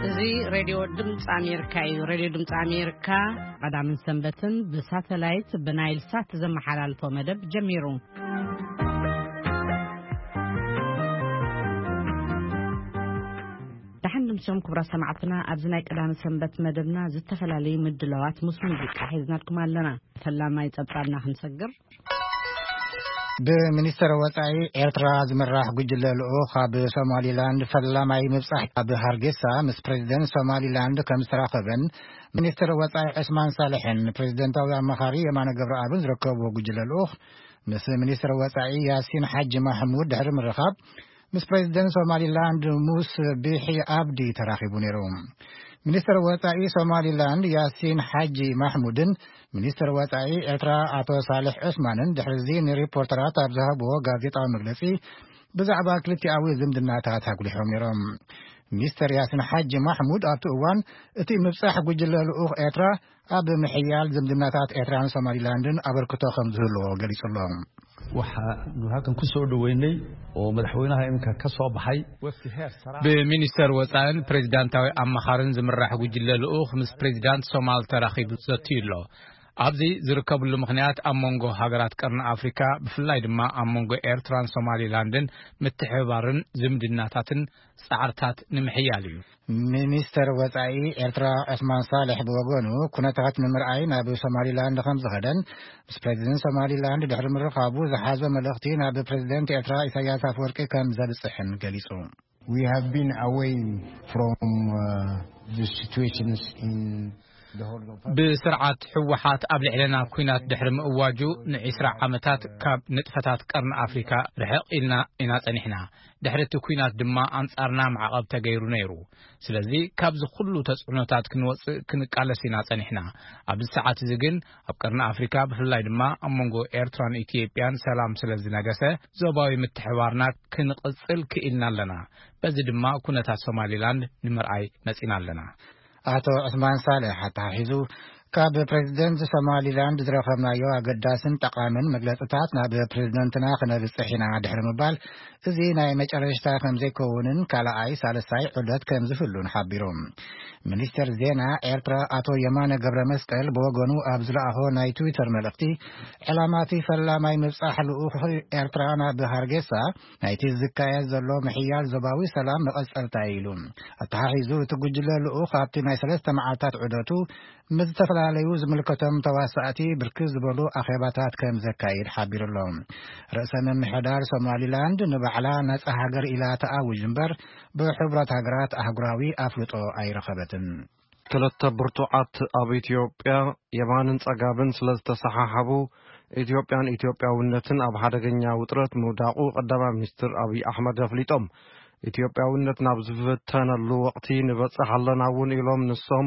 እዚ ሬድዮ ድምፂ ኣሜሪካ እዩ። ሬድዮ ድምፂ ኣሜሪካ ቀዳምን ሰንበትን ብሳተላይት ብናይል ሳት ዘመሓላልፎ መደብ ጀሚሩ። ደሓን ንምሶም ክቡራት ሰማዕትና፣ ኣብዚ ናይ ቀዳሚ ሰንበት መደብና ዝተፈላለዩ ምድላዋት ምስ ሙዚቃ ሒዝናልኩም ኣለና። ፈላማይ ጸብጻብና ክንሰግር። ብሚኒስተር ወጻኢ ኤርትራ ዝምራሕ ጉጅለ ልኡኽ ኣብ ሶማሊላንድ ፈላማይ ምብጻሕ ኣብ ሃርጌሳ ምስ ፕሬዚደንት ሶማሊላንድ ከም ዝተራኸበን፣ ሚኒስተር ወጻኢ ዑስማን ሳልሕን ፕሬዚደንታዊ ኣማኻሪ የማነ ገብረኣብን ዝረከብዎ ጉጅለ ልኡኽ ምስ ሚኒስተር ወጻኢ ያሲን ሓጂ ማሕሙድ ድሕሪ ምርኻብ፣ ምስ ፕሬዚደንት ሶማሊላንድ ሙስ ቢሒ ኣብዲ ተራኺቡ ነይሩ። ሚኒስተር ወጻኢ ሶማሊላንድ ያሲን ሓጂ ማሕሙድን ሚኒስተር ወጻኢ ኤርትራ ኣቶ ሳልሕ ዑስማንን ድሕሪዚ ንሪፖርተራት ኣብ ዝሃብዎ ጋዜጣዊ መግለጺ፣ ብዛዕባ ክልቲኣዊ ዝምድናታት ኣጉሊሖም ነይሮም። ሚኒስተር ያሲን ሓጂ ማሕሙድ ኣብቲ እዋን፣ እቲ ምብጻሕ ጉጅለ ልኡኽ ኤርትራ ኣብ ምሕያል ዝምድናታት ኤርትራን ሶማሊላንድን ኣበርክቶ ከም ዝህልዎ ገሊጹ ኣሎ። Waxaanu halkan ku soo dhaweynay oo madaxweynaha iminka ka soo baxay wafdi heer sare ah. ብሚኒስተር ወጻእን ፕሬዚዳንታዊ ኣማኻርን ዝምራሕ ጉጅለ ልኡኽ ምስ ፕሬዚዳንት ሶማል ተራኺቡ ዘትዩ ኣሎ። ኣብዚ ዝርከብሉ ምኽንያት ኣብ መንጎ ሃገራት ቀርኒ ኣፍሪካ፣ ብፍላይ ድማ ኣብ መንጎ ኤርትራን ሶማሊላንድን ምትሕብባርን ዝምድናታትን ጻዕርታት ንምሕያል እዩ። ሚኒስተር ወጻኢ ኤርትራ ዑስማን ሳልሕ ብወገኑ፣ ኩነታት ንምርኣይ ናብ ሶማሊላንድ ከም ዝኸደን ምስ ፕሬዚደንት ሶማሊላንድ ድሕሪ ምርኻቡ ዝሓዞ መልእኽቲ ናብ ፕሬዚደንት ኤርትራ ኢሳያስ ኣፈወርቂ ከም ዘብጽሕን ገሊጹ። We have been away from uh, the situations in the Horn of Africa. ብስርዓት ህወሓት ኣብ ልዕለና ኲናት ድሕሪ ምእዋጁ ንዒስራ ዓመታት ካብ ንጥፈታት ቀርኒ ኣፍሪካ ርሕቕ ኢልና ኢና ጸኒሕና። ድሕሪ እቲ ኲናት ድማ ኣንጻርና ማዕቐብ ተገይሩ ነይሩ። ስለዚ ካብዚ ኩሉ ተጽዕኖታት ክንወጽእ ክንቃለስ ኢና ጸኒሕና። ኣብዚ ሰዓት እዚ ግን ኣብ ቀርኒ ኣፍሪካ ብፍላይ ድማ ኣብ መንጎ ኤርትራን ኢትዮጵያን ሰላም ስለ ዝነገሰ ዞባዊ ምትሕባርና ክንቕጽል ክኢልና ኣለና። በዚ ድማ ኩነታት ሶማሊላንድ ንምርኣይ መጺና ኣለና። ኣቶ ዑስማን ሳልሕ ኣተሓሒዙ፣ ካብ ፕሬዚደንት ሶማሊላንድ ዝረኸብናዮ ኣገዳስን ጠቓምን መግለጽታት ናብ ፕሬዚደንትና ክነብጽሕ ኢና ድሕሪ ምባል፣ እዚ ናይ መጨረሽታ ከም ዘይከውንን ካልኣይ ሳልሳይ ዑደት ከም ዝህሉን ሓቢሩ። ሚኒስተር ዜና ኤርትራ ኣቶ የማነ ገብረ መስቀል ብወገኑ ኣብ ዝለኣኾ ናይ ትዊተር መልእኽቲ፣ ዕላማቲ ፈላማይ ምብጻሕ ልኡኽ ኤርትራ ናብ ሃርጌሳ ናይቲ ዝካየድ ዘሎ ምሕያል ዞባዊ ሰላም መቐጸልታ እዩ ኢሉ። ኣተሓሒዙ፣ እቲ ጉጅለ ልኡኽ ኣብቲ ናይ ሰለስተ መዓልታት ዑደቱ ምስ ዝተፈላለዩ ዝምልከቶም ተዋሳእቲ ብርክት ዝበሉ ኣኼባታት ከም ዘካይድ ሓቢሩ ኣሎ። ርእሰ ምምሕዳር ሶማሊላንድ ንባዕላ ነጻ ሃገር ኢላ ተኣውጅ እምበር፣ ብሕቡራት ሃገራት ኣህጉራዊ ኣፍልጦ ኣይረኸበትን። ክልተ ብርቱዓት ኣብ ኢትዮጵያ የማንን ጸጋምን ስለ ዝተሰሓሓቡ፣ ኢትዮጵያን ኢትዮጵያውነትን ኣብ ሓደገኛ ውጥረት ምውዳቑ ቀዳማይ ሚኒስትር ኣብይ ኣሕመድ ኣፍሊጦም። ኢትዮጵያውነት ናብ ዝፍተነሉ ወቕቲ ንበጽሕ ኣለና እውን ኢሎም ንሶም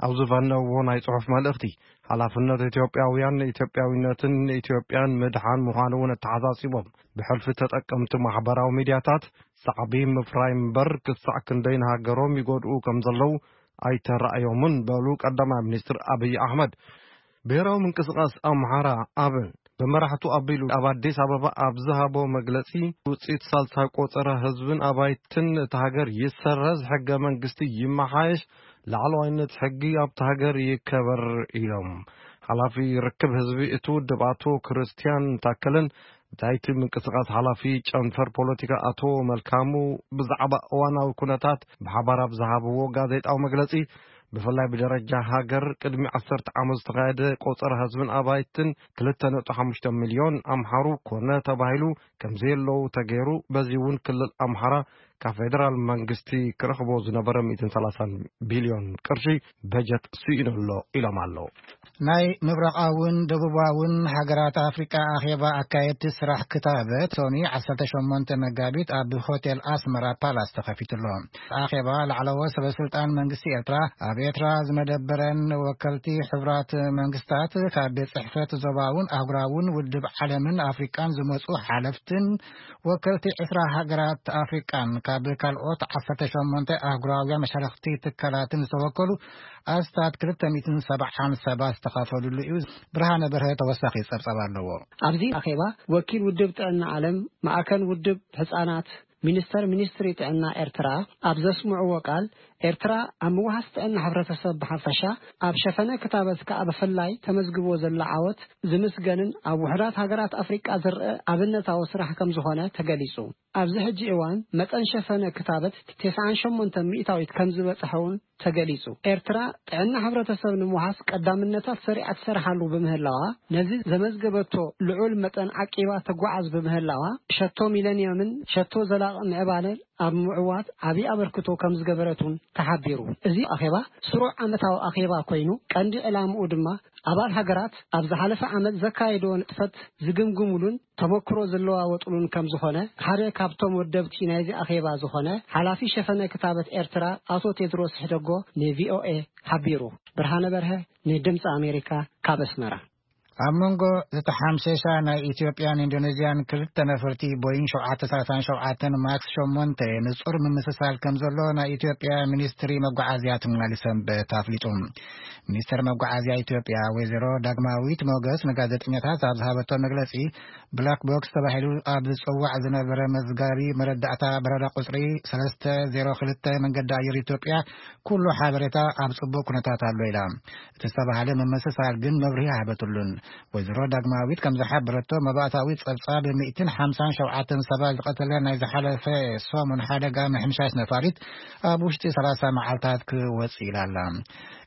ኣብ ዝፈነውዎ ናይ ጽሑፍ መልእኽቲ፣ ሓላፍነት ኢትዮጵያውያን ንኢትዮጵያዊነትን ንኢትዮጵያን ምድሓን ምዃኑ እውን ኣተሓሳሲቦም። ብሕልፊ ተጠቀምቲ ማሕበራዊ ሚድያታት ሳዕቢ ምፍራይ እምበር ክሳዕ ክንደይ ንሃገሮም ይጎድኡ ከም ዘለዉ ኣይተራእዮምን በሉ ቀዳማይ ሚኒስትር ኣብይ ኣሕመድ። ብሔራዊ ምንቅስቃስ ኣምሓራ፣ ኣብ፣ ብመራሕቱ ኣቢሉ ኣብ ኣዲስ ኣበባ ኣብ ዝሃቦ መግለጺ፣ ውጽኢት ሳልሳይ ቆጸራ ህዝብን ኣባይትን እታ ሃገር ይሰረዝ፣ ሕገ መንግስቲ ይመሓየሽ፣ ላዕለዋይነት ሕጊ ኣብታ ሃገር ይከበር ኢሎም። ሓላፊ ርክብ ህዝቢ እቲ ውድብ ኣቶ ክርስቲያን ታከለን፣ እቲ ምንቅስቃስ ሓላፊ ጨንፈር ፖለቲካ ኣቶ መልካሙ ብዛዕባ እዋናዊ ኩነታት ብሓባር ኣብ ዝሃብዎ ጋዜጣዊ መግለጺ፣ ብፍላይ ብደረጃ ሃገር ቅድሚ ዓሰርተ ዓመት ዝተኻየደ ቆጸራ ህዝብን ኣባይትን ክልተ ነጥቢ ሓሙሽተ ሚልዮን ኣምሓሩ ኮነ ተባሂሉ ከም ዘየለዉ ተገይሩ፣ በዚ እውን ክልል ኣምሓራ ካብ ፌደራል መንግስቲ ክረኽቦ ዝነበረ ሚእትን ሰላሳን ቢልዮን ቅርሺ በጀት ስኢኑ ኣሎ ኢሎም ኣለዉ። ናይ ምብራቓውን ደቡባውን ሃገራት ኣፍሪቃ ኣኼባ ኣካየድቲ ስራሕ ክታበት ሶኒ ዓሰርተ ሸሞንተ መጋቢት ኣብ ሆቴል ኣስመራ ፓላስ ተኸፊቱ ኣሎ። ኣኼባ ላዕለዎት ሰበ ስልጣን መንግስቲ ኤርትራ፣ ኣብ ኤርትራ ዝመደበረን ወከልቲ ሕቡራት መንግስታት ካብ ቤት ጽሕፈት ዞባውን ኣህጉራውን ውድብ ዓለምን ኣፍሪቃን ዝመጹ ሓለፍትን ወከልቲ ዕስራ ሃገራት ኣፍሪቃን ኣብ ካልኦት ዓሰርተ ሸሞንተ ኣህጉራውያን መሻርኽቲ ትካላትን ዝተወከሉ ኣስታት ክልተ ሚእትን ሰብዓን ሰባት ዝተኻፈልሉ እዩ። ብርሃነ በርሀ ተወሳኺ ጸብጻብ ኣለዎ። ኣብዚ ኣኼባ ወኪል ውድብ ጥዕና ዓለም፣ ማእከል ውድብ ህጻናት፣ ሚኒስተር ሚኒስትሪ ጥዕና ኤርትራ ኣብ ዘስምዕዎ ቃል፣ ኤርትራ ኣብ ምውሃስ ጥዕና ሕብረተሰብ ብሓፈሻ፣ ኣብ ሸፈነ ክታበት ከኣ ብፍላይ ተመዝግቦ ዘላ ዓወት ዝምስገንን ኣብ ውሑዳት ሃገራት ኣፍሪቃ ዝረአ ኣብነታዊ ስራሕ ከም ዝኾነ ተገሊጹ። ኣብዚ ሕጂ እዋን መጠን ሸፈነ ክታበት ተስዓን ሸሞንተን ሚእታዊት ከም ዝበጽሐ እውን ተገሊጹ። ኤርትራ ጥዕና ሕብረተሰብ ንምውሃስ ቀዳምነታት ሰሪዓ ትሰርሓሉ ብምህላዋ፣ ነዚ ዘመዝገበቶ ልዑል መጠን ዓቂባ ተጓዓዝ ብምህላዋ፣ ሸቶ ሚለንየምን ሸቶ ዘላቒ ምዕባለን ኣብ ምዕዋት ዓቢ ኣበርክቶ ከም ዝገበረት እውን ተሓቢሩ። እዚ ኣኼባ ስሩዕ ዓመታዊ ኣኼባ ኮይኑ፣ ቀንዲ ዕላምኡ ድማ ኣባል ሃገራት ኣብ ዝሓለፈ ዓመት ዘካየድዎ ንጥፈት ዝግምግሙሉን ተመክሮ ዝለዋወጡሉን ከም ዝኾነ ሓደ ካብቶም ወደብቲ ናይዚ ኣኼባ ዝኾነ ሓላፊ ሸፈነ ክታበት ኤርትራ ኣቶ ቴድሮስ ሕደጎ ንቪኦኤ ሓቢሩ። ብርሃነ በርሀ ንድምፂ ኣሜሪካ ካብ ኣስመራ። ኣብ መንጎ ዝተሓምሸሻ ናይ ኢትዮጵያን ኢንዶኔዥያን ክልተ ነፈርቲ ቦይንግ ሸውዓተ ሰላሳ ሸውዓተ ማክስ ሸሞንተ ንጹር ምምስሳል ከም ዘሎ ናይ ኢትዮጵያ ሚኒስትሪ መጓዓዝያ ትማሊ ሰንበት ኣፍሊጡ። ሚኒስትር መጓዓዝያ ኢትዮጵያ ወይዘሮ ዳግማዊት ሞገስ ንጋዜጠኛታት ኣብ ዝሃበቶ መግለጺ፣ ብላክ ቦክስ ተባሂሉ ኣብ ዝጽዋዕ ዝነበረ መዝጋቢ መረዳእታ በረራ ቁጽሪ ሰለስተ ዜሮ ክልተ መንገዲ ኣየር ኢትዮጵያ ኩሉ ሓበሬታ ኣብ ጽቡቕ ኩነታት ኣሎ ኢላ። እቲ ዝተባህለ ምምስሳል ግን መብርሂ ኣይሃበትሉን። ወይዘሮ ዳግማዊት ከም ዝሓበረቶ፣ መባእታዊ ጸብጻብ ሚእትን ሓምሳን ሸውዓተን ሰባት ዝቐተለ ናይ ዝሓለፈ ሰሙን ሓደጋ ምሕምሻሽ ነፋሪት ኣብ ውሽጢ ሰላሳ መዓልታት ክወጽእ ኢላ ኣላ።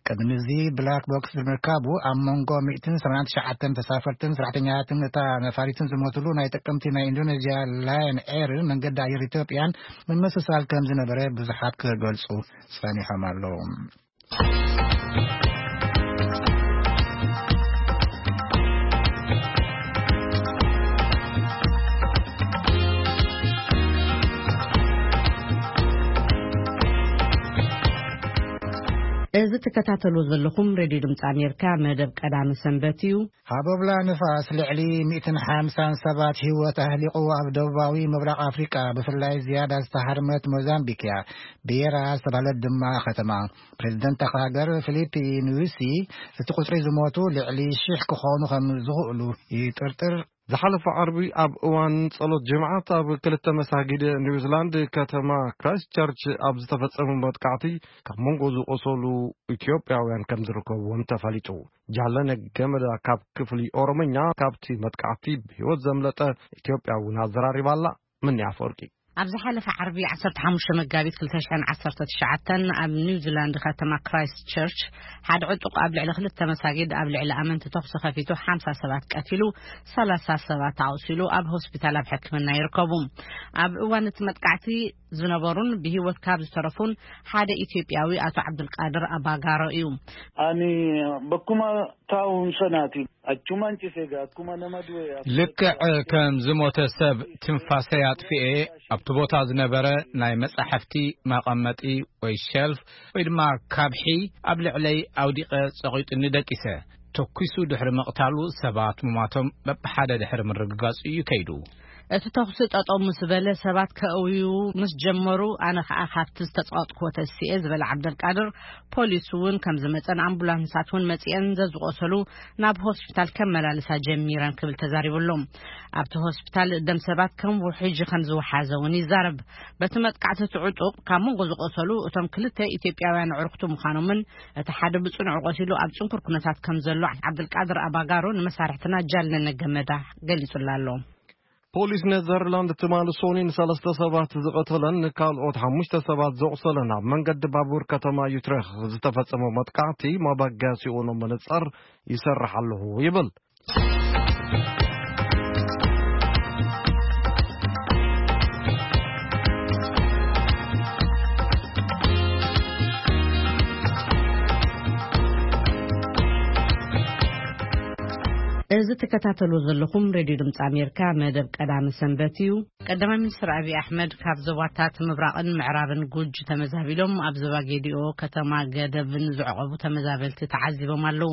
ቅድሚ እዚ ብላክ ቦክስ ብምርካቡ ኣብ መንጎ ሚእትን ሰማንያን ትሽዓተን ተሳፈርትን ሰራሕተኛታትን እታ ነፋሪትን ዝሞትሉ ናይ ጥቅምቲ ናይ ኢንዶኔዥያ ላየን ኤርን መንገዲ ኣየር ኢትዮጵያን ምምስሳል ከም ዝነበረ ብዙሓት ክገልጹ ጸኒሖም ኣለዉ። እዚ ትከታተሉ ዘለኹም ሬድዮ ድምፂ ኣሜሪካ መደብ ቀዳሚ ሰንበት እዩ። ሃቦብላ ንፋስ ልዕሊ ሚእትን ሓምሳን ሰባት ህይወት ኣህሊቑ ኣብ ደቡባዊ ምብራቕ ኣፍሪቃ ብፍላይ ዝያዳ ዝተሃርመት ሞዛምቢክ እያ። ቤራ ዝተባህለት ድማ ከተማ። ፕሬዚደንት እታ ሃገር ፊሊፒ ኑሲ እቲ ቁፅሪ ዝሞቱ ልዕሊ ሽሕ ክኾኑ ከም ዝኽእሉ ይጥርጥር። ዝሓለፈ ዓርቢ ኣብ እዋን ጸሎት ጅምዓት ኣብ ክልተ መሳጊድ ኒውዚላንድ ከተማ ክራይስት ቸርች ኣብ ዝተፈጸመ መጥቃዕቲ ካብ መንጎ ዝቆሰሉ ኢትዮጵያውያን ከም ዝርከብዎም ተፈሊጡ። ጃለነ ገመዳ ካብ ክፍሊ ኦሮምኛ ካብቲ መጥቃዕቲ ብህይወት ዘምለጠ ኢትዮጵያዊ እውን ኣዘራሪባ ኣላ። ምንያ ኣፈወርቂ። ኣብ ዝሓለፈ ዓርቢ ዓሰርተ ሓሙሽተ መጋቢት ክልተ ሽሕን ዓሰርተ ትሽዓተን ኣብ ኒውዚላንድ ከተማ ክራይስት ቸርች ሓደ ዕጡቕ ኣብ ልዕሊ ክልተ መሳጊድ ኣብ ልዕሊ ኣመንቲ ተኹሲ ከፊቱ ሓምሳ ሰባት ቀቲሉ፣ ሰላሳ ሰባት ኣቑሲሉ ኣብ ሆስፒታል ኣብ ሕክምና ይርከቡ። ኣብ እዋን እቲ መጥቃዕቲ ዝነበሩን ብህይወት ካብ ዝተረፉን ሓደ ኢትዮጵያዊ ኣቶ ዓብዱልቃድር ኣባጋሮ እዩ። ኣኒ በኩማ ታውን ሰናቲ ኣቹማን ጭሴጋ ኣኩማ ነመድወ ልክዕ ከም ዝሞተ ሰብ ትንፋሰይ ኣጥፊኤ ኣብቲ ቦታ ዝነበረ ናይ መጻሕፍቲ መቐመጢ ወይ ሸልፍ ወይ ድማ ካብሒ ኣብ ልዕለይ ኣውዲቐ ጸቒጡኒ ደቂሰ። ተኲሱ ድሕሪ ምቕታሉ ሰባት ምሟቶም በብሓደ ድሕሪ ምርግጋጹ እዩ ከይዱ። እቲ ተኹሲ ጠጠው ምስ በለ ሰባት ከእውዩ ምስ ጀመሩ ኣነ ኸኣ ካብቲ ዝተጸቐጥክዎ ተሲኤ ዝበለ ዓብደልቃድር ፖሊስ እውን ከም ዝመጸን ኣምቡላንሳት እውን መጺአን ዘዝቆሰሉ ናብ ሆስፒታል ከመላልሳ ጀሚረን ክብል ተዛሪቡ ኣሎ። ኣብቲ ሆስፒታል ደም ሰባት ከም ውሕጂ ከም ዝወሓዘ እውን ይዛረብ። በቲ መጥቃዕቲ እቲ ዕጡቕ ካብ መንጎ ዝቆሰሉ እቶም ክልተ ኢትዮጵያውያን ኣዕሩኽቱ ምዃኖምን እቲ ሓደ ብጽኑዕ ቆሲሉ ኣብ ጽንኩር ኩነታት ከም ዘሎ ዓብዱልቃድር ኣባጋሮ ንመሳርሕትና ጃል ነነገመዳ ገሊጹላ ኣሎ። ፖሊስ ኔዘርላንድ ትማሊ ሶኒ ንሰለስተ ሰባት ዝቐተለን ንካልኦት ሓሙሽተ ሰባት ዘቑሰለን ኣብ መንገዲ ባቡር ከተማ ዩትሬክ ዝተፈጸመ መጥቃዕቲ መበገሲኡ ንምንጻር ይሰርሕ ኣለኹ ይብል። እዚ ትከታተሉ ዘለኹም ሬድዮ ድምፂ ኣሜሪካ መደብ ቀዳሚ ሰንበት እዩ። ቀዳማይ ሚኒስትር ኣብይ ኣሕመድ ካብ ዞባታት ምብራቕን ምዕራብን ጉጅ ተመዛቢሎም ኣብ ዞባ ጌዲኦ ከተማ ገደብን ዝዕቐቡ ተመዛበልቲ ተዓዚቦም ኣለዉ።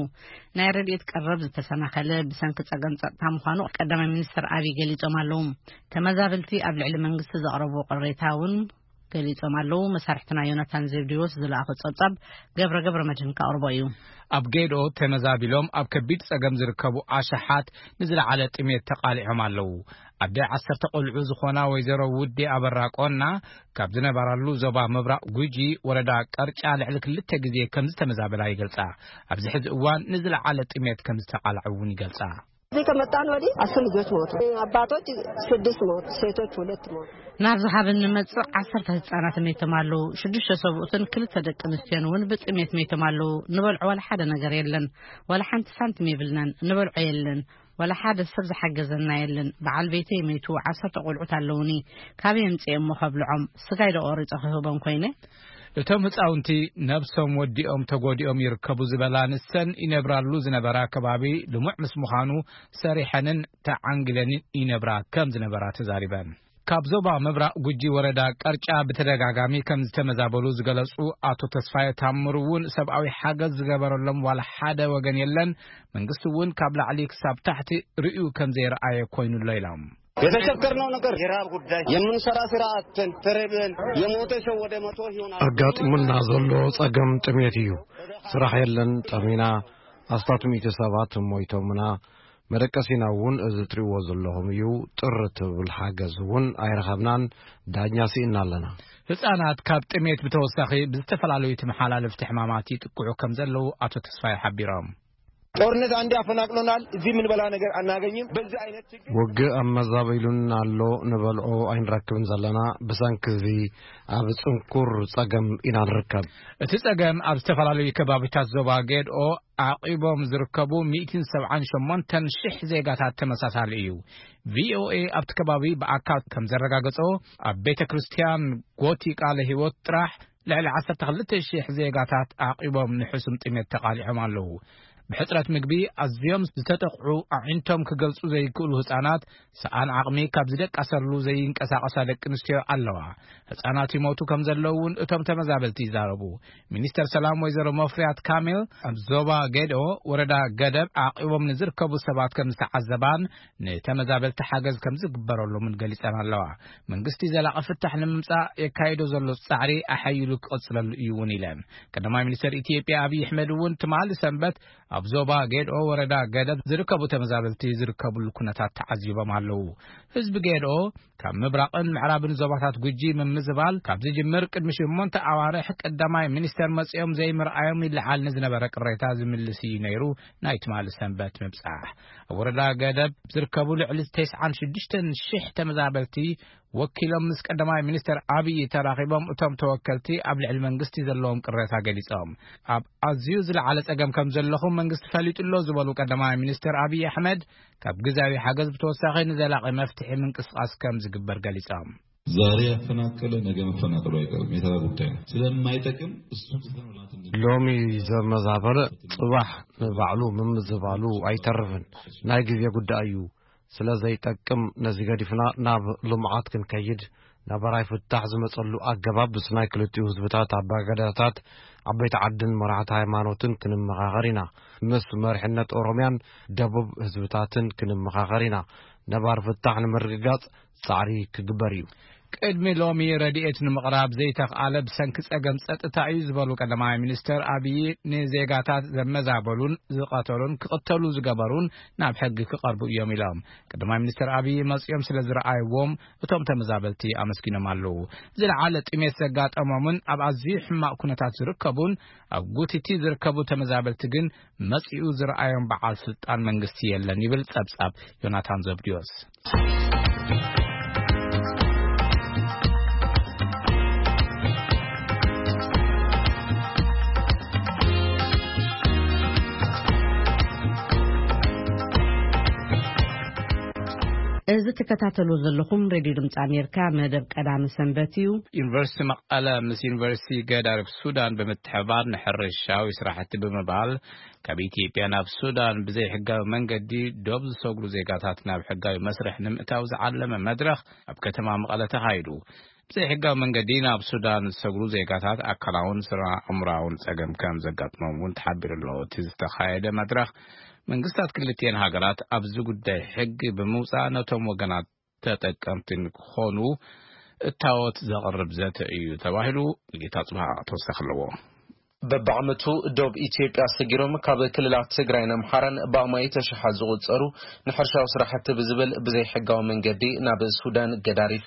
ናይ ረድኤት ቀረብ ዝተሰናኸለ ብሰንኪ ጸገም ጸጥታ ምዃኑ ቀዳማይ ሚኒስትር ኣብይ ገሊጾም ኣለዉ። ተመዛበልቲ ኣብ ልዕሊ መንግስቲ ዘቕረብዎ ቅሬታ እውን ገሊጾም ኣለዉ። መሳርሕትና ዮናታን ዘብዲዎስ ዝለኣኾ ጸብጻብ ገብረ ገብረ መድህን ከቕርቦ እዩ። ኣብ ጌዶ ተመዛቢሎም ኣብ ከቢድ ጸገም ዝርከቡ ኣሽሓት ንዝለዓለ ጥሜት ተቓሊዖም ኣለዉ። ኣደ ዓሰርተ ቆልዑ ዝኾና ወይዘሮ ውዴ ኣበራ ቆና ካብ ዝነበራሉ ዞባ ምብራቕ ጉጂ ወረዳ ቀርጫ ልዕሊ ክልተ ግዜ ከም ዝተመዛበላ ይገልጻ። ኣብዚ ሕዚ እዋን ንዝለዓለ ጥሜት ከም ዝተቓልዐ እውን ይገልጻ። እዚህ ከመጣን ወዲህ አስር ልጆች ሞቱ። አባቶች ስድስት ሞቱ፣ ሴቶች ሁለት ሞቱ። ናብዚ ካብ እንመጽእ ዓሰርተ ህጻናት መይቶም ኣለዉ። ሽዱሽተ ሰብኡትን ክልተ ደቂ ኣንስትዮን እውን ብጥሜት መይቶም ኣለዉ። ንበልዖ ዋላ ሓደ ነገር የለን። ዋላ ሓንቲ ሳንቲም የብልናን። ንበልዖ የለን። ዋላ ሓደ ሰብ ዝሓገዘና የለን። በዓል ቤተይ መይቱ፣ ዓሰርተ ቆልዑት ኣለዉኒ። ካበይ ኣምጺኤ እሞ ከብልዖም? ስጋይ ዶ ቆሪጸ ክህቦም ኮይነ? እቶም ህጻውንቲ ነብሶም ወዲኦም ተጎዲኦም ይርከቡ ዝበላ ንሰን ይነብራሉ ዝነበራ ከባቢ ልሙዕ ምስ ምዃኑ ሰሪሐንን ተዓንግለንን ይነብራ ከም ዝነበራ ተዛሪበን። ካብ ዞባ ምብራቕ ጉጂ ወረዳ ቀርጫ ብተደጋጋሚ ከም ዝተመዛበሉ ዝገለጹ ኣቶ ተስፋየ ታምሩ እውን ሰብኣዊ ሓገዝ ዝገበረሎም ዋላ ሓደ ወገን የለን። መንግስቲ እውን ካብ ላዕሊ ክሳብ ታሕቲ ርእዩ ከም ዘይረኣየ ኮይኑሎ ኢሎም። የተቸገርነው ነገር የራብ ጉዳይ፣ የምንሰራ ስራ አጥተን ተረበን፣ የሞተ ሰው ወደ መቶ ይሆናል። ኣጋጢሙና ዘሎ ጸገም ጥሜት እዩ። ስራሕ የለን፣ ጠሚና። ኣስታት ሚእቲ ሰባት ሞይቶምና። መደቀሲና እውን እዚ ትሪእዎ ዘለኹም እዩ። ጥር ትብል ሓገዝ እውን ኣይረኸብናን። ዳኛ ስኢና ኣለና። ህጻናት ካብ ጥሜት ብተወሳኺ ብዝተፈላለዩ ተመሓላለፍቲ ሕማማት ይጥቅዑ ከም ዘለዉ ኣቶ ተስፋይ ሓቢሮም። ጦርነት አንዴ አፈናቅሎናል። እዚህ የምንበላ ነገር አናገኝም። በዚህ አይነት ችግር ውግእ ኣመዛቢሉን ኣሎ። ንበልዖ ኣይንረክብን ዘለና። ብሰንኪ እዚ ኣብ ጽንኩር ጸገም ኢና ንርከብ። እቲ ጸገም ኣብ ዝተፈላለዩ ከባቢታት ዞባ ጌድኦ ዓቂቦም ዝርከቡ ሚእትን ሰብዓን ሸሞንተን ሽሕ ዜጋታት ተመሳሳሊ እዩ። ቪኦኤ ኣብቲ ከባቢ ብኣካል ከም ዘረጋገጾ፣ ኣብ ቤተ ክርስቲያን ጎቲ ቃለ ህይወት ጥራሕ ልዕሊ ዓሰርተ ክልተ ሽሕ ዜጋታት ዓቂቦም ንሕሱም ጥሜት ተቓሊዖም ኣለዉ። ብሕጽረት ምግቢ ኣዝዮም ዝተጠቕዑ፣ ኣዒንቶም ክገልጹ ዘይክእሉ ህጻናት፣ ሰኣን ዓቕሚ ካብ ዝደቃሰሉ ዘይንቀሳቐሳ ደቂ ኣንስትዮ ኣለዋ። ህጻናት ይሞቱ ከም ዘለዉ እውን እቶም ተመዛበልቲ ይዛረቡ። ሚኒስተር ሰላም ወይዘሮ መፍሪያት ካሜል ኣብ ዞባ ጌድኦ ወረዳ ገደብ ዓቂቦም ንዝርከቡ ሰባት ከም ዝተዓዘባን ንተመዛበልቲ ሓገዝ ከም ዝግበረሎምን ገሊጸን ኣለዋ። መንግስቲ ዘላቒ ፍታሕ ንምምጻእ የካይዶ ዘሎ ጻዕሪ ኣሓይሉ ክቕጽለሉ እዩ እውን ኢለን። ቀዳማይ ሚኒስተር ኢትዮጵያ ኣብይ ኣሕመድ እውን ትማሊ ሰንበት ኣብ ዞባ ጌድኦ ወረዳ ገደብ ዝርከቡ ተመዛበልቲ ዝርከብሉ ኩነታት ተዓዚቦም ኣለዉ። ህዝቢ ጌድኦ ካብ ምብራቕን ምዕራብን ዞባታት ጉጂ ምምዝባል ካብ ዝጅምር ቅድሚ ሸሞንተ ኣዋርሕ ቀዳማይ ሚኒስተር መጺኦም ዘይምርኣዮም ይለዓል ንዝነበረ ቅሬታ ዝምልስ እዩ ነይሩ። ናይ ትማሊ ሰንበት ምብጻሕ ኣብ ወረዳ ገደብ ዝርከቡ ልዕሊ ተስዓን ሽዱሽተን ሽሕ ተመዛበልቲ ወኪሎም ምስ ቀዳማይ ሚኒስተር ኣብይ ተራኺቦም፣ እቶም ተወከልቲ ኣብ ልዕሊ መንግስቲ ዘለዎም ቅሬታ ገሊጾም። ኣብ ኣዝዩ ዝለዓለ ጸገም ከም ዘለኹም መንግስቲ ፈሊጡ ኣሎ ዝበሉ ቀዳማይ ሚኒስተር ኣብይ ኣሕመድ፣ ካብ ግዝያዊ ሓገዝ ብተወሳኺ ንዘላቒ መፍትሒ ምንቅስቓስ ከም ዝግበር ገሊጾም። ዛሬ ያፈናቀለ ነገ መፈናቀሉ አይቀርም። የተራ ጉዳይ ነው። ስለማይጠቅም እሱ ትተን ወላትን ሎሚ ዘመዛበለ ጽባሕ ንባዕሉ ምምዝባሉ ኣይተርፍን። ናይ ግዜ ጉዳይ እዩ። ስለ ዘይጠቅም ነዚ ገዲፍና ናብ ልምዓት ክንከይድ፣ ነባራይ ፍታሕ ዝመጸሉ ኣገባብ ምስ ናይ ክልቲኡ ህዝብታት ኣባገዳታት፣ ዓበይቲ ዓድን መራሕቲ ሃይማኖትን ክንመኻኸር ኢና። ምስ መሪሕነት ኦሮምያን ደቡብ ህዝብታትን ክንመኻኸር ኢና። ነባር ፍታሕ ንምርግጋጽ ጻዕሪ ክግበር እዩ። ቅድሚ ሎሚ ረድኤት ንምቕራብ ዘይተኽኣለ ብሰንኪ ጸገም ጸጥታ እዩ ዝበሉ ቀዳማይ ሚኒስተር ኣብይ፣ ንዜጋታት ዘመዛበሉን ዝቐተሉን ክቕተሉ ዝገበሩን ናብ ሕጊ ክቐርቡ እዮም ኢሎም። ቀዳማይ ሚኒስተር ኣብይ መጺኦም ስለ ዝረኣይዎም እቶም ተመዛበልቲ ኣመስጊኖም ኣለዉ። ዝለዓለ ጥሜት ዘጋጠሞምን ኣብ ኣዝዩ ሕማቕ ኩነታት ዝርከቡን ኣብ ጉቲቲ ዝርከቡ ተመዛበልቲ ግን መጺኡ ዝረኣዮም በዓል ስልጣን መንግስቲ የለን ይብል ጸብጻብ ዮናታን ዘብድዮስ። እዚ ትከታተሉ ዘለኹም ሬድዮ ድምፂ ኣሜሪካ መደብ ቀዳሚ ሰንበት እዩ። ዩኒቨርሲቲ መቐለ ምስ ዩኒቨርሲቲ ገዳሪፍ ሱዳን ብምትሕባር ንሕርሻዊ ስራሕቲ ብምባል ካብ ኢትዮጵያ ናብ ሱዳን ብዘይሕጋዊ መንገዲ ዶብ ዝሰግሩ ዜጋታት ናብ ሕጋዊ መስርሕ ንምእታው ዝዓለመ መድረኽ ኣብ ከተማ መቐለ ተኻይዱ። ብዘይሕጋዊ መንገዲ ናብ ሱዳን ዝሰግሩ ዜጋታት ኣካላውን ስነ ኣእምሮኣውን ጸገም ከም ዘጋጥሞም እውን ተሓቢሩ ኣሎ። እቲ ዝተኻየደ መድረኽ መንግስታት ክልቲኤን ሃገራት ኣብዚ ጉዳይ ሕጊ ብምውጻእ ነቶም ወገናት ተጠቀምትን ክኾኑ እታወት ዘቕርብ ዘተ እዩ ተባሂሉ። ጌታ ጽባሕ ተወሳኺ ኣለዎ። በብዓመቱ ዶብ ኢትዮጵያ ሰጊሮም ካብ ክልላት ትግራይን ኣምሓራን ብኣማኢት ኣሽሓት ዝቑጸሩ ንሕርሻዊ ስራሕቲ ብዝብል ብዘይሕጋዊ መንገዲ ናብ ሱዳን ገዳሪፍ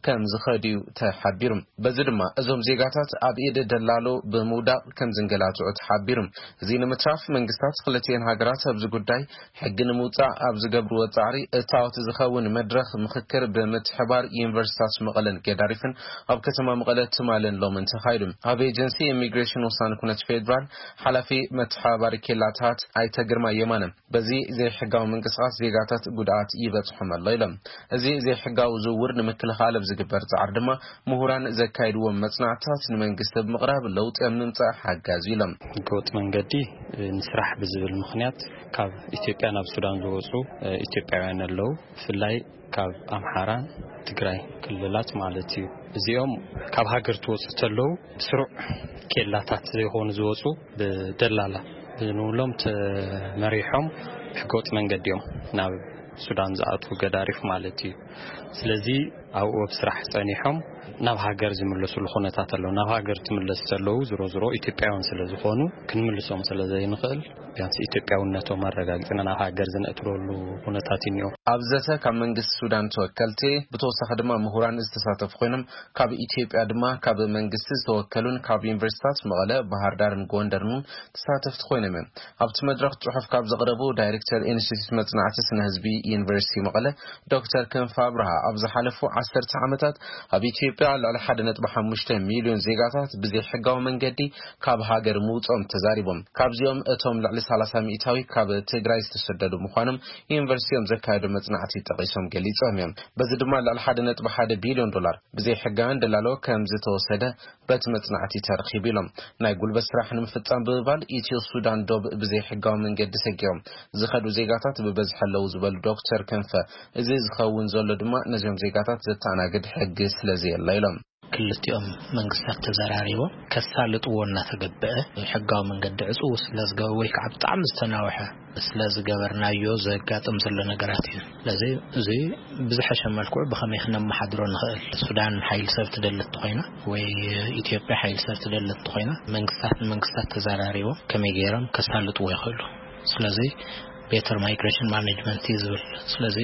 ከም ዝኸድዩ ተሓቢሩ። በዚ ድማ እዞም ዜጋታት ኣብ ኢድ ደላሎ ብምውዳቕ ከም ዝንገላትዑ ተሓቢሩ። እዚ ንምትራፍ መንግስታት ክልቲኤን ሃገራት ኣብዚ ጉዳይ ሕጊ ንምውጻእ ኣብ ዝገብርዎ ጻዕሪ እታወት ዝኸውን መድረኽ ምኽክር ብምትሕባር ዩኒቨርሲታት መቐለን ገዳሪፍን ኣብ ከተማ መቐለ ትማልን ሎምን ተኻይዱ። ኣብ ኤጀንሲ ኢሚግሬሽን ወሳኒ ኩነት ፌዴራል ሓላፊ መተሓባባሪ ኬላታት ኣይተ ግርማ የማነ በዚ ዘይሕጋዊ ምንቅስቃስ ዜጋታት ጉድኣት ይበጽሖም ኣሎ ኢሎም። እዚ ዘይሕጋዊ ዝውውር ንምክልኻል ኣብ ዝግበር ጻዕሪ ድማ ምሁራን ዘካይድዎም መጽናዕትታት ንመንግስቲ ብምቕራብ ለውጢ ኣብ ምምጻእ ሓጋዚ ኢሎም። ህገወጥ መንገዲ ንስራሕ ብዝብል ምኽንያት ካብ ኢትዮጵያ ናብ ሱዳን ዝወፁ ኢትዮጵያውያን ኣለዉ። ብፍላይ ካብ ኣምሓራን ትግራይ ክልላት ማለት እዩ። እዚኦም ካብ ሃገር ትወፁ ተለዉ ብስሩዕ ኬላታት ዘይኮኑ ዝወፁ ብደላላ ብንብሎም ተመሪሖም ህገወጥ መንገዲ እዮም ናብ ሱዳን ዝኣትዉ ገዳሪፍ ማለት እዩ። ስለዚ ኣብኡ ኣብ ስራሕ ጸኒሖም ናብ ሃገር ዝምለስሉ ኩነታት ኣሎ። ናብ ሃገር ትምለስ ዘለዉ ዝሮ ዝሮ ኢትዮጵያውያን ስለ ዝኾኑ ክንምልሶም ስለ ዘይንኽእል ቢያንስ ኢትዮጵያውነቶም ኣረጋጊጽና ናብ ሃገር ዝነእትረሉ ኩነታት እዩ እኒኦ። ኣብ ዘተ ካብ መንግስቲ ሱዳን ተወከልቲ ብተወሳኺ ድማ ምሁራን ዝተሳተፉ ኮይኖም ካብ ኢትዮጵያ ድማ ካብ መንግስቲ ዝተወከሉን ካብ ዩኒቨርሲታት መቐለ፣ ባህር ዳርን ጎንደርን እውን ተሳተፍቲ ኮይኖም እዮም። ኣብቲ መድረኽ ጽሑፍ ካብ ዘቕረቡ ዳይሬክተር ኢንስቲትዩት መጽናዕቲ ስነ ህዝቢ ዩኒቨርሲቲ መቐለ ዶክተር ክንፈ ኣብርሃ ኣብ ዝሓለፉ ዓሰርተ ዓመታት ኣብ ኢትዮጵያ ልዕሊ ሓደ ነጥቢ ሓሙሽተ ሚልዮን ዜጋታት ብዘይሕጋዊ መንገዲ ካብ ሃገር ምውጾም ተዛሪቦም። ካብዚኦም እቶም ልዕሊ ሰላሳ ሚእታዊ ካብ ትግራይ ዝተሰደዱ ምዃኖም ዩኒቨርሲቲኦም ዘካየዶ መጽናዕቲ ጠቒሶም ገሊጾም እዮም። በዚ ድማ ልዕሊ ሓደ ነጥቢ ሓደ ቢልዮን ዶላር ብዘይሕጋውያን ደላሎ ከም ዝተወሰደ በቲ መጽናዕቲ ተረኺቡ ኢሎም። ናይ ጉልበት ስራሕ ንምፍጻም ብምባል ኢትዮ ሱዳን ዶብ ብዘይሕጋዊ መንገዲ ሰጊሮም ዝኸዱ ዜጋታት ብበዝሒ ኣለዉ ዝበሉ ዶክተር ክንፈ፣ እዚ ዝኸውን ዘሎ ድማ ነዚኦም ዜጋታት ዘተኣናግድ ሕጊ ስለ ዘየለ ኢሎም። ክልቲኦም መንግስታት ተዘራሪቦም ከሳልጥዎ እናተገበአ ሕጋዊ መንገዲ ዕፅው ስለ ዝገበ ወይ ከዓ ብጣዕሚ ዝተናውሐ ስለ ዝገበርናዮ ዘጋጥም ዘሎ ነገራት እዩ። ስለዚ እዚ ብዝሐሸ መልክዑ ብኸመይ ክነመሓድሮ ንኽእል? ሱዳን ሓይሊ ሰብ ትደሊ እንተኾይና ወይ ኢትዮጵያ ሓይሊ ሰብ ትደሊ እንተኾይና መንግስታት ንመንግስታት ተዘራሪቦም ከመይ ገይሮም ከሳልጥዎ ይኽእሉ? ስለዚ ቤተር ማይግሬሽን ማኔጅመንት እዩ ዝብል። ስለዚ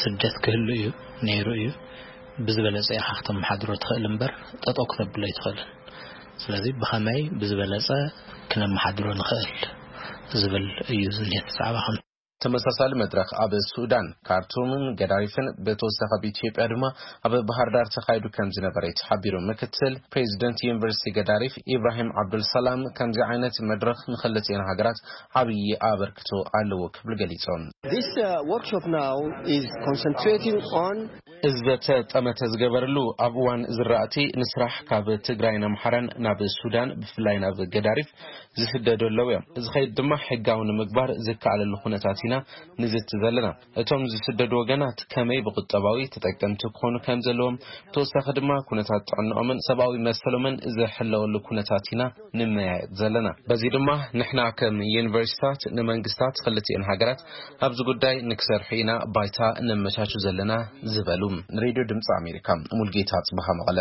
ስደት ክህሉ እዩ ነይሩ እዩ። ብዝበለጸ ኢኻ ክተመሓድሮ ትኽእል እምበር ጠጠው ክተብሎ ኣይትኽእልን። ስለዚ ብኸመይ ብዝበለጸ ክነመሓድሮ ንኽእል ዝብል እዩ ዝኒሀ እቲ ዛዕባ። ከም ተመሳሳሊ መድረኽ ኣብ ሱዳን ካርቱምን ገዳሪፍን ብተወሳኺ ኣብ ኢትዮጵያ ድማ ኣብ ባህር ዳር ተኻይዱ ከም ዝነበረ እዩ ተሓቢሩ። ምክትል ፕሬዚደንት ዩኒቨርሲቲ ገዳሪፍ ኢብራሂም ዓብዱልሰላም ከምዚ ዓይነት መድረኽ ንክልቲኤን ሃገራት ዓብዪ ኣበርክቶ ኣለዎ ክብል ገሊጾም። This uh, workshop now is concentrating on እዚ ዘተ ጠመተ ዝገበርሉ ኣብ እዋን ዝራእቲ ንስራሕ ካብ ትግራይን ኣምሓራን ናብ ሱዳን ብፍላይ ናብ ገዳሪፍ ዝስደዱ ኣለዉ እዮም። እዚ ኸይድ ድማ ሕጋዊ ንምግባር ዝከኣለሉ ኩነታት ኢና ንዝቲ ዘለና። እቶም ዝስደዱ ወገናት ከመይ ብቁጠባዊ ተጠቀምቲ ክኾኑ ከም ዘለዎም፣ ተወሳኺ ድማ ኩነታት ጥዕንኦምን ሰብኣዊ መሰሎምን ዝሕለወሉ ኩነታት ኢና ንመያየጥ ዘለና። በዚ ድማ ንሕና ከም ዩኒቨርሲታት ንመንግስታት ክልቲኤን ሃገራት ኣብዚ ጉዳይ ንክሰርሑ ኢና ባይታ ነመቻቹ ዘለና ዝበሉ። ንሬድዮ ድምፂ ኣሜሪካ ሙልጌታ ጽባሃ መቐለ።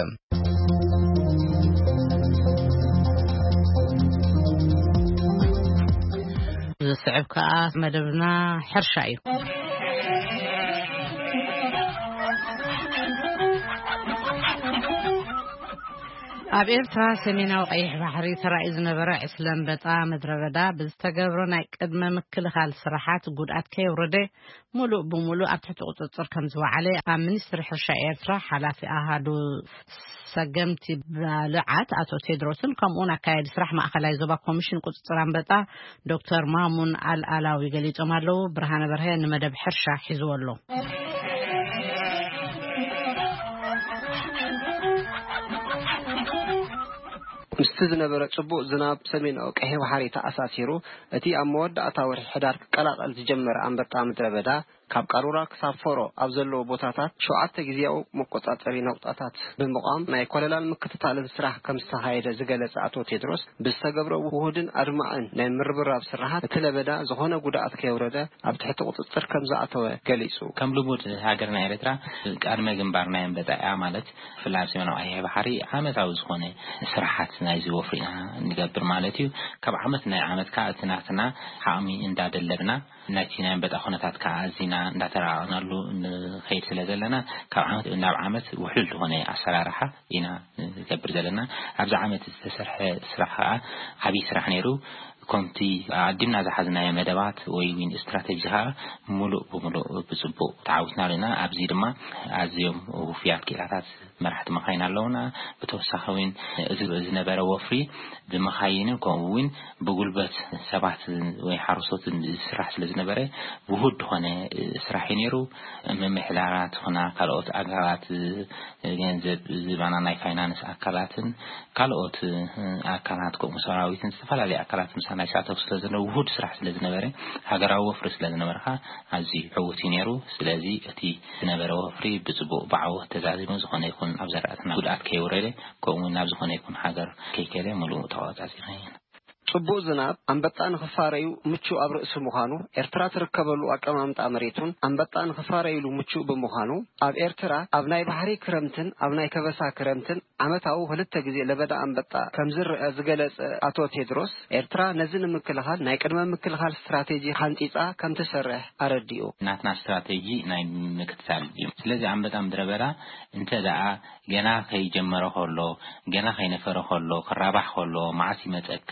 ዝስዕብ ከኣ መደብና ሕርሻ እዩ። ኣብ ኤርትራ ሰሜናዊ ቀይሕ ባሕሪ ተራእዩ ዝነበረ ዕስለ ኣንበጣ ምድረ በዳ ብዝተገብሮ ናይ ቅድመ ምክልኻል ስራሓት ጉድኣት ከየውረደ ሙሉእ ብሙሉእ ኣብ ትሕቲ ቁጽጽር ከም ዝወዓለ ኣብ ሚኒስትሪ ሕርሻ ኤርትራ ሓላፊ ኣሃዱ ሰገምቲ ባልዓት ኣቶ ቴድሮስን ከምኡውን ኣካያዲ ስራሕ ማእኸላይ ዞባ ኮሚሽን ቁጽጽር ኣንበጣ ዶክተር ማሙን ኣልኣላዊ ገሊጾም ኣለዉ። ብርሃነ በርሀ ንመደብ ሕርሻ ሒዝዎ ኣሎ። ምስቲ ዝነበረ ጽቡቕ ዝናብ ሰሜናዊ ቀይሕ ባሕሪ ተኣሳሲሩ፣ እቲ ኣብ መወዳእታ ወርሒ ሕዳር ክቀላቐል ዝጀመረ ኣንበጣ ምድረ በዳ ካብ ቃሩራ ክሳብ ፎሮ ኣብ ዘለዎ ቦታታት ሸውዓተ ግዜያዊ መቆጻጸሪ ነቑጣታት ብምቋም ናይ ኮለላን ምክትታልን ስራሕ ከም ዝተኻየደ ዝገለጸ ኣቶ ቴድሮስ፣ ብዝተገብረ ውሁድን ኣድማዕን ናይ ምርብራብ ስራሓት እቲ ለበዳ ዝኾነ ጉድኣት ከየውረደ ኣብ ትሕቲ ቁጽጽር ከም ዝኣተወ ገሊጹ። ከም ልሙድ ሃገርና ኤርትራ ቀድመ ግንባር ናይ ኣንበጣ እያ። ማለት ብፍላይ ኣብ ሰሜናዊ ቀይሕ ባሕሪ ዓመታዊ ዝኾነ ስራሓት ናይዚ ወፍሪ ኢና ንገብር ማለት እዩ። ካብ ዓመት ናይ ዓመት ከዓ እቲ ናትና ዓቕሚ እንዳደለብና ናይቲ ናይ ኣንበጣ ኩነታት ከዓ ኣዚና እንዳተራቐቕናሉ ንኸይድ ስለ ዘለና ካብ ዓመት ናብ ዓመት ውሕሉል ዝኾነ ኣሰራርሓ ኢና ንገብር ዘለና። ኣብዚ ዓመት ዝተሰርሐ ስራሕ ከዓ ዓብዪ ስራሕ ነይሩ። ከምቲ ኣቐዲምና ዝሓዝናዮ መደባት ወይ ዊን ስትራተጂ ከዓ ሙሉእ ብሙሉእ ብፅቡቅ ተዓዊትና ኣለና። ኣብዚ ድማ ኣዝዮም ውፍያት ክኢላታት መራሕቲ መኻይን ኣለውና። ብተወሳኺ እውን እዚ ዝነበረ ወፍሪ ብመኻይንን ከምኡ እውን ብጉልበት ሰባት ወይ ሓረስቶትን ዝስራሕ ስለ ዝነበረ ውሁድ ዝኾነ ስራሕ እዩ ነይሩ። ምምሕዳራት ኾና ካልኦት ኣካላት ገንዘብ ዝባና ናይ ፋይናንስ ኣካላትን ካልኦት ኣካላት ከምኡ ሰራዊትን ዝተፈላለዩ ኣካላት ምሳና ይሳተፉ ስለ ዝነበሩ ውሁድ ስራሕ ስለ ዝነበረ ሃገራዊ ወፍሪ ስለ ዝነበርካ ኣዝዩ ዕዉት እዩ ነይሩ። ስለዚ እቲ ዝነበረ ወፍሪ ብፅቡቅ ብዓወት ተዛዚሙ ዝኾነ ይኹን ኣብ ዘራእትና ጉድኣት ከይወረደ ከምኡ ናብ ዝኾነ ይኹን ሃገር ከይከደ ሙሉእ ተቆጻጺርና ኢና። ጽቡቕ ዝናብ ኣንበጣ ንኽፋረዩ ምቹእ ኣብ ርእሲ ምዃኑ፣ ኤርትራ ትርከበሉ ኣቀማምጣ መሬቱን ኣንበጣ ንኽፋረዩሉ ምቹእ ብምዃኑ፣ ኣብ ኤርትራ ኣብ ናይ ባሕሪ ክረምትን ኣብ ናይ ከበሳ ክረምትን ዓመታዊ ክልተ ግዜ ለበዳ ኣንበጣ ከም ዝረአ ዝገለጸ ኣቶ ቴድሮስ፣ ኤርትራ ነዚ ንምክልኻል ናይ ቅድመ ምክልኻል ስትራቴጂ ሓንጺጻ ከም ትሰርሕ ኣረዲኡ። ናትና ስትራቴጂ ናይ ምክትታል እዩ። ስለዚ ኣንበጣ ምድረ በዳ እንተ ደኣ ገና ከይጀመረ ከሎ፣ ገና ከይነፈረ ከሎ፣ ክራባሕ ከሎ፣ መዓስ ይመጸካ፣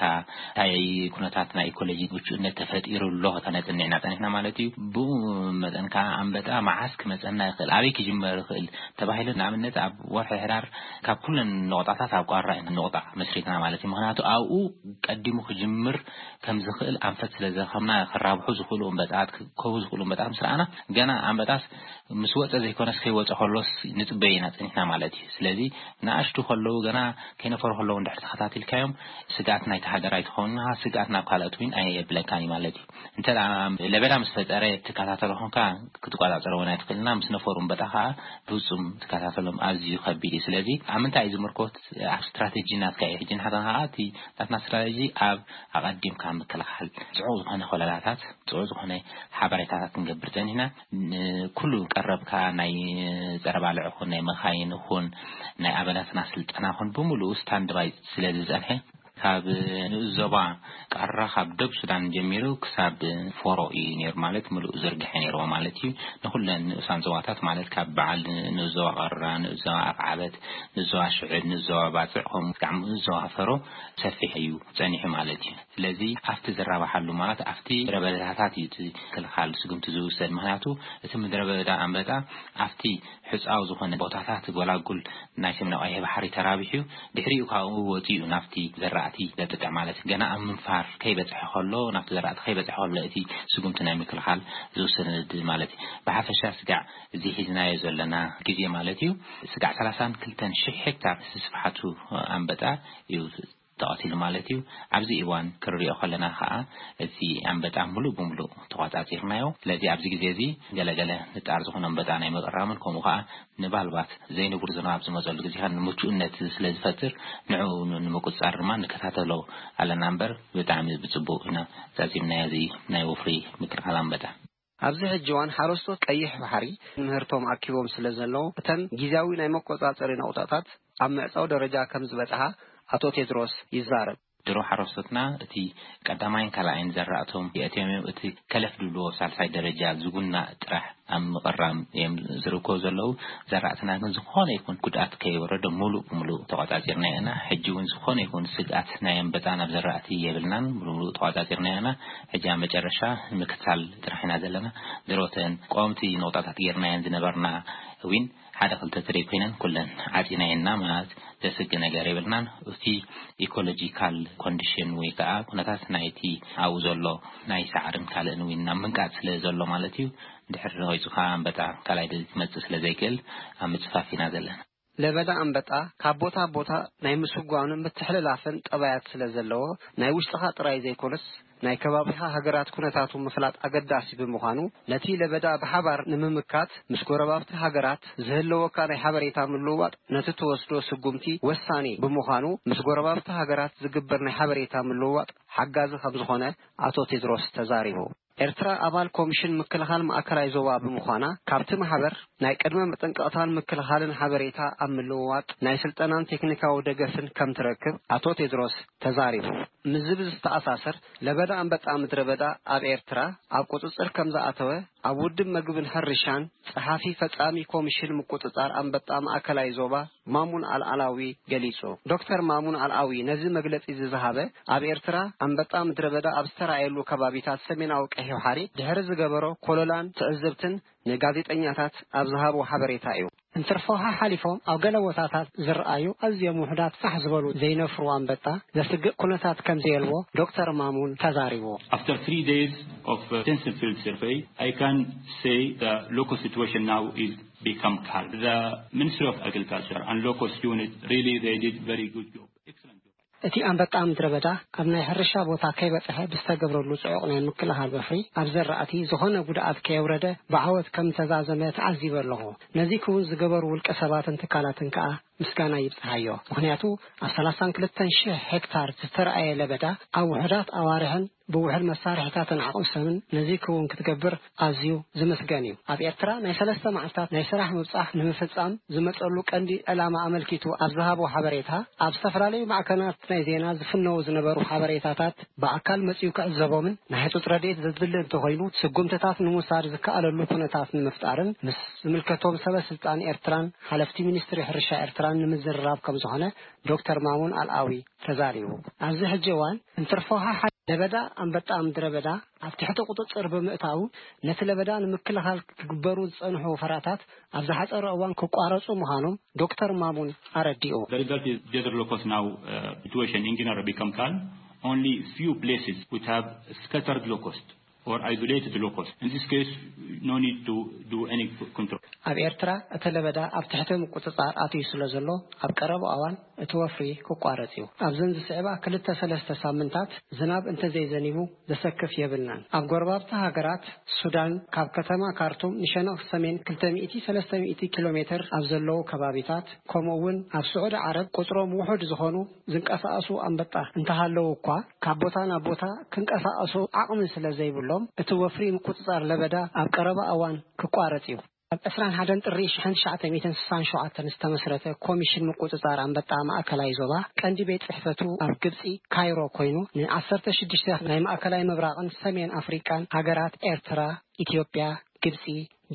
እንታይ ኩነታት ናይ ኢኮሎጂ ምቹእነት ተፈጢሩ ኣሎ ከተነጽንዕና ጸኒሕና ማለት እዩ። ብኡ መጠን ከኣ ኣንበጣ መዓስ ክመጸና ይኽእል፣ ኣበይ ክጅመር ይኽእል ተባሂሉ ንኣብነት ኣብ ወርሒ ሕዳር ካብ ኩለን ነቑጣታት ኣብ ቋራ ኢና ነቑጣ መስሪትና ማለት እዩ። ምኽንያቱ ኣብኡ ቀዲሙ ክጅምር ከም ዝኽእል ኣንፈት ስለ ዝረኸብና ክራብሑ ዝኽእሉ ኣንበጣት፣ ክከቡ ዝኽእሉ ኣንበጣት ምስ ረኣና ገና ኣንበጣስ ምስ ወጸ ዘይኮነስ ከይወጸ ከሎስ ንጽበዮ ኢና ጸኒሕና ማለት እዩ። ስለዚ ንኣሽቱ ከለዉ ገና ከይነፈሩ ከለዉ እንድሕር ተኸታቲልካዮም ስግኣት ናይቲ ሃገር ኣይትኸውን ኢኻ፣ ስግኣት ናብ ካልኦት እውን ኣየብለካን እዩ ማለት እዩ። እንተ ደኣ ለበዳ ምስ ፈጠረ ትከታተሎ ኮንካ ክትቆጻጸሮ እውን ኣይትኽእልና፣ ምስ ነፈሩ እምበጣ ከዓ ብፍጹም ትከታተሎም ኣዝዩ ከቢድ እዩ። ስለዚ ኣብ ምንታይ እዩ ዝምርኮት? ኣብ ስትራቴጂ ናትካ እዩ። ሕጂ ንሕና ከዓ እቲ ናትና ስትራቴጂ ኣብ ኣቐዲምካ ምክልኻል፣ ጽዑቕ ዝኾነ ኮለላታት፣ ጽዑቕ ዝኾነ ሓበሬታታት ክንገብር ጸኒሕና። ንኩሉ ቀረብካ ናይ ጸረ ባልዕ ይኹን ናይ መኻይን ይኹን ናይ ኣባላትና ስልጠና ይኹን ብምሉኡ ስታንድባይ ስለ ዝጸንሐ፣ ካብ ንኡስ ዞባ ቃራ ካብ ደብ ሱዳን ጀሚሩ ክሳብ ፎሮ እዩ ነይሩ፣ ማለት ምሉእ ዝርግሐ ነይርዎ ማለት እዩ። ንኹለን ንኡሳን ዞባታት ማለት ካብ በዓል ንኡስ ዞባ ቃራ፣ ንኡስ ዞባ ኣፍዓበት፣ ንኡስ ዞባ ሽዕብ፣ ንኡስ ዞባ ባጽዕ ከምኡ ክሳብ ንኡስ ዞባ ፈሮ ሰፊሕ እዩ ጸኒሑ ማለት እዩ። ስለዚ ኣብቲ ዝራባሓሉ ማለት ኣብቲ ረበዳታት እዩ እቲ ክልኻል ስጉምቲ ዝውሰድ። ምኽንያቱ እቲ ምድረ በዳ ኣንበጣ ኣብቲ ሕጻው ዝኾነ ቦታታት ጎላጉል ናይ ሰሜናዊ ቀይሕ ባሕሪ ተራቢሑ ድሕሪኡ ካብኡ ወጺኡ ናብቲ ዘራእቲ ዘጥቅዕ ማለት እዩ። ገና ኣብ ምንፋር ከይበጽሐ ከሎ ናብቲ ዘራእቲ ከይበጽሐ ከሎ እቲ ስጉምቲ ናይ ምክልኻል ዝውሰድ ማለት እዩ። ብሓፈሻ ስጋዕ እዚ ሒዝናዮ ዘለና ግዜ ማለት እዩ ስጋዕ ሰላሳን ክልተን ሽሕ ሄክታር ስፍሓቱ ኣንበጣ እዩ ተቐቲሉ ማለት እዩ። ኣብዚ እዋን ክንሪኦ ከለና ከዓ እቲ ኣንበጣ ሙሉእ ብሙሉእ ተቋጻጺርናዮ። ስለዚ ኣብዚ ግዜ እዚ ገለገለ ንጣር ዝኾነ ኣንበጣ ናይ ምቕራምን ከምኡ ከዓ ንባልባት ዘይንቡር ዝናብ ዝመፀሉ ግዜ ከዓ ንምቹእነት ስለ ዝፈጥር ንዕኡ ንምቁፅፃር ድማ ንከታተሎ ኣለና እምበር ብጣዕሚ ብፅቡቅ ኢና ዛዚምናዮ እዚ ናይ ወፍሪ ምክልኻል ኣንበጣ። ኣብዚ ሕጂ እዋን ሓረስቶት ቀይሕ ባሕሪ ምህርቶም ኣኪቦም ስለ ዘለዉ እተን ግዜያዊ ናይ መቆፃፀሪ ነቑጣታት ኣብ ምዕፃው ደረጃ ከም ዝበፅሓ ኣቶ ቴድሮስ ይዛረብ። ድሮ ሓረስቶትና እቲ ቀዳማይን ካልኣይን ዘራእቶም የእትዮም እዮም። እቲ ከለፍ ድብልዎ ሳልሳይ ደረጃ ዝጉና ጥራሕ ኣብ ምቕራም እዮም ዝርከቡ ዘለዉ። ዘራእትና ግን ዝኾነ ይኹን ጉድኣት ከይወረዶ ሙሉእ ብሙሉእ ተቋጻጺርና ኢና። ሕጂ እውን ዝኾነ ይኹን ስግኣት ናይ ኣንበጣ ናብ ዘራእቲ የብልናን። ሙሉእ ብሙሉእ ተቋጻጺርና ኢና። ሕጂ ኣብ መጨረሻ ምክትታል ጥራሕ ኢና ዘለና። ድሮተን ቀወምቲ ነቑጣታት ጌርናየን ዝነበርና እውን ሓደ ክልተ ትሪብ ኮይነን ኩለን ዓጺናየና ማለት ዘስግእ ነገር የብልናን። እቲ ኢኮሎጂካል ኮንዲሽን ወይ ከዓ ኩነታት ናይቲ ኣብኡ ዘሎ ናይ ሳዕርን ካልእን እውን ናብ ምንቃጽ ስለ ዘሎ ማለት እዩ። ድሕሪ ነዊጹ ከዓ ኣንበጣ ካልኣይ ክመጽእ ስለ ዘይክእል ኣብ ምጽፋፍ ኢና ዘለና። ለበዳ ኣንበጣ ካብ ቦታ ቦታ ናይ ምስጓኑ ምትሕልላፍን ጠባያት ስለ ዘለዎ፣ ናይ ውሽጥኻ ጥራይ ዘይኮነስ ናይ ከባቢኻ ሃገራት ኩነታቱ ምፍላጥ ኣገዳሲ ብምዃኑ፣ ነቲ ለበዳ ብሓባር ንምምካት ምስ ጎረባብቲ ሃገራት ዝህልወካ ናይ ሓበሬታ ምልውዋጥ ነቲ ትወስዶ ስጉምቲ ወሳኒ ብምዃኑ፣ ምስ ጎረባብቲ ሃገራት ዝግበር ናይ ሓበሬታ ምልውዋጥ ሓጋዚ ከም ዝኾነ ኣቶ ቴድሮስ ተዛሪቡ። ኤርትራ ኣባል ኮሚሽን ምክልኻል ማእከላይ ዞባ ብምዃና፣ ካብቲ ማሕበር ናይ ቅድመ መጠንቀቕታን ምክልኻልን ሓበሬታ ኣብ ምልውዋጥ፣ ናይ ስልጠናን ቴክኒካዊ ደገፍን ከም ትረክብ ኣቶ ቴድሮስ ተዛሪቡ። ምስዚ ብዝተኣሳሰር፣ ለበዳ ኣንበጣ ምድረ በዳ ኣብ ኤርትራ ኣብ ቁጽጽር ከም ዝኣተወ፣ ኣብ ውድብ መግብን ሕርሻን ጸሓፊ ፈጻሚ ኮሚሽን ምቁጽጻር ኣንበጣ ማእከላይ ዞባ ማሙን ኣልኣላዊ ገሊጹ። ዶክተር ማሙን ኣልኣዊ ነዚ መግለጺ እዚ ዝሃበ፣ ኣብ ኤርትራ ኣንበጣ ምድረ በዳ ኣብ ዝተራእየሉ ከባቢታት ሰሜናዊ ቀይሕ ባሕሪ ድሕሪ ዝገበሮ ኮለላን ትዕዝብትን ንጋዜጠኛታት ኣብ ዝሃቦ ሓበሬታ እዩ። እንትርፎ ሓሓሊፎም ኣብ ገለ ቦታታት ዝረኣዩ ኣዝዮም ውሑዳት ፋሕ ዝበሉ ዘይነፍሩ ኣንበጣ ዘስግእ ኩነታት ከም ዘየልቦ ዶክተር ማሙን ተዛሪቡ። After three days of uh, extensive field survey, I can say the local situation now is become calm. The Ministry of Agriculture and Locust Unit really they did very good job. Excellent job. እቲ ኣንበጣ ምድረ በዳ ኣብ ናይ ሕርሻ ቦታ ከይበጽሐ ብዝተገብረሉ ጽዑቕ ናይ ምክልኻል ወፍሪ ኣብ ዘራእቲ ዝኾነ ጉድኣት ከየውረደ ብዓወት ከም ተዛዘመ ተዓዚበ ኣለኹ። ነዚ ክውን ዝገበሩ ውልቀ ሰባትን ትካላትን ከኣ ምስጋና ይብጽሓዮ። ምኽንያቱ ኣብ ሰላሳን ክልተን ሽሕ ሄክታር ዝተረኣየ ለበዳ ኣብ ውሑዳት ኣዋርሕን ብውሕድ መሳርሒታትን ዓቕሚ ሰብን ነዚ ክውን ክትገብር ኣዝዩ ዝምስገን እዩ። ኣብ ኤርትራ ናይ ሰለስተ መዓልታት ናይ ስራሕ ምብጻሕ ንምፍጻም ዝመጸሉ ቀንዲ ዕላማ ኣመልኪቱ ኣብ ዝሃቦ ሓበሬታ፣ ኣብ ዝተፈላለዩ ማዕከናት ናይ ዜና ዝፍነዉ ዝነበሩ ሓበሬታታት ብኣካል መጺኡ ክዕዘቦምን ናይ ህጹጽ ረድኤት ዘድሊ እንተኾይኑ ስጉምትታት ንምውሳድ ዝከኣለሉ ኩነታት ንምፍጣርን ምስ ዝምልከቶም ሰበ ስልጣን ኤርትራን ሓለፍቲ ሚኒስትሪ ሕርሻ ኤርትራን ንምዝርራብ ከም ዝኾነ ዶክተር ማሙን ኣልኣዊ ተዛሪቡ። ኣብዚ ሕጂ እዋን እንትርፎ ሓሓ ለበዳ ኣንበጣ ምድረ በዳ ኣብ ትሕቲ ቁጽጽር ብምእታዉ፣ ነቲ ለበዳ ንምክልኻል ክግበሩ ዝጸንሑ ወፈራታት ኣብ ዝሓጸረ እዋን ክቋረጹ ምዃኖም ዶክተር ማሙን ኣረዲኡ። The result is desert locust now uh, situation in general become calm. Only few places would have scattered locust or isolated locust. In this case, no need to do any control. ኣብ ኤርትራ እቲ ለበዳ ኣብ ትሕቲ ምቁጽጻር ኣትዩ ስለ ዘሎ፣ ኣብ ቀረባ እዋን እቲ ወፍሪ ክቋረጽ እዩ። ኣብዘን ዝስዕባ ክልተ ሰለስተ ሳምንታት ዝናብ እንተዘይዘኒቡ ዘሰክፍ የብልናን። ኣብ ጎረባብቲ ሃገራት ሱዳን ካብ ከተማ ካርቱም ንሸነኽ ሰሜን ክልተ ሚእቲ ሰለስተ ሚእቲ ኪሎ ሜትር ኣብ ዘለዉ ከባቢታት፣ ከምኡ እውን ኣብ ስዑዲ ዓረብ ቁጽሮም ውሑድ ዝኾኑ ዝንቀሳቐሱ ኣንበጣ እንተሃለዉ እኳ፣ ካብ ቦታ ናብ ቦታ ክንቀሳቐሱ ዓቕሚ ስለ ዘይብሎም፣ እቲ ወፍሪ ምቁጽጻር ለበዳ ኣብ ቀረባ እዋን ክቋረጽ እዩ። ኣብ ዕስራን ሓደን ጥሪ ሽሕን ትሽዓተ ሚእትን ስሳን ሸውዓተን ዝተመስረተ ኮሚሽን ምቁጽጻር ኣንበጣ ማእከላይ ዞባ ቀንዲ ቤት ጽሕፈቱ ኣብ ግብጺ ካይሮ ኮይኑ ንዓሰርተ ሽዱሽተ ናይ ማእከላይ ምብራቕን ሰሜን ኣፍሪቃን ሃገራት ኤርትራ፣ ኢትዮጵያ፣ ግብጺ፣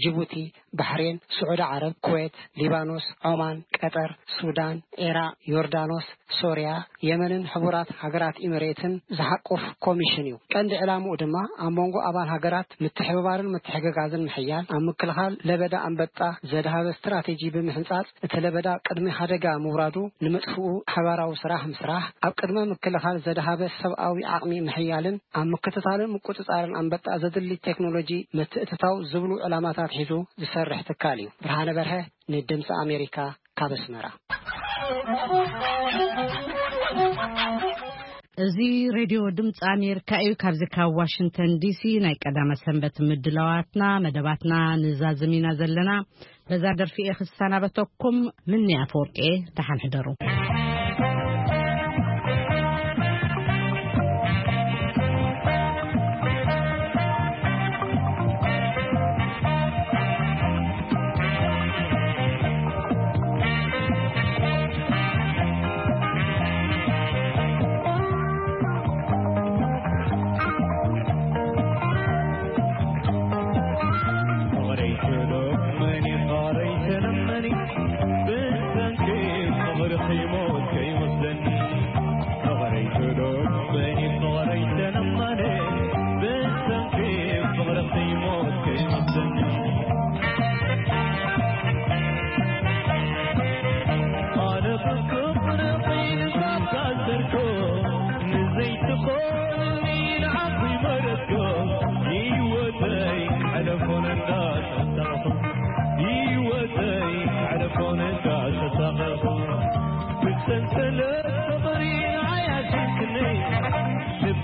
ጅቡቲ፣ ባሕሬን፣ ስዑዲ ዓረብ፣ ኩዌት፣ ሊባኖስ፣ ዖማን፣ ቀጠር፣ ሱዳን፣ ኢራቕ፣ ዮርዳኖስ፣ ሶርያ፣ የመንን ሕቡራት ሃገራት ኢሚሬትን ዝሓቁፍ ኮሚሽን እዩ። ቀንዲ ዕላምኡ ድማ ኣብ መንጎ ኣባል ሃገራት ምትሕብባርን ምትሕግጋዝን ምሕያል፣ ኣብ ምክልኻል ለበዳ ኣንበጣ ዘድሃበ ስትራቴጂ ብምሕንጻጽ፣ እቲ ለበዳ ቅድሚ ሓደጋ ምውራዱ ንምጥፍኡ ሓባራዊ ስራሕ ምስራሕ፣ ኣብ ቅድመ ምክልኻል ዘድሃበ ሰብኣዊ ዓቕሚ ምሕያልን ኣብ ምክትታልን ምቁጽጻርን ኣንበጣ ዘድሊ ቴክኖሎጂ ምትእትታው ዝብሉ ዕላማታት ሒዙ ዝሰርሕ ትካል እዩ። ብርሃነ በርሀ፣ ንድምፂ ኣሜሪካ፣ ካብ ኣስመራ። እዚ ሬድዮ ድምፂ ኣሜሪካ እዩ። ካብዚ ካብ ዋሽንግተን ዲሲ ናይ ቀዳመ ሰንበት ምድላዋትና፣ መደባትና ንዛዝም ኢና ዘለና። በዛ ደርፊ እየ ክሰናበተኩም። ምኒ ኣፈወርቂ እየ። ደሓን ሕደሩ።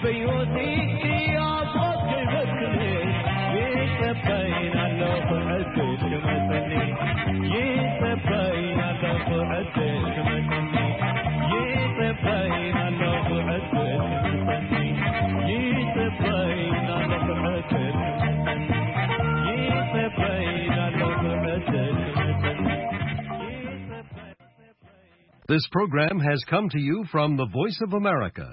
በሕይወትኪ ኣብ ሞት ከይበክል ይጸበይን ኣለኹ ዕድል ክመጸኒ። ይጸበይን ኣለኹ ዕድል ክመጸኒ። ይጸበይን ኣለኹ ዕድል ክመጸኒ። ይጸበይን ኣለኹ ዕድል ክመጸኒ። ይጸበይን ኣለኹ ዕድል ክመጸኒ። This program has come to you from the Voice of America,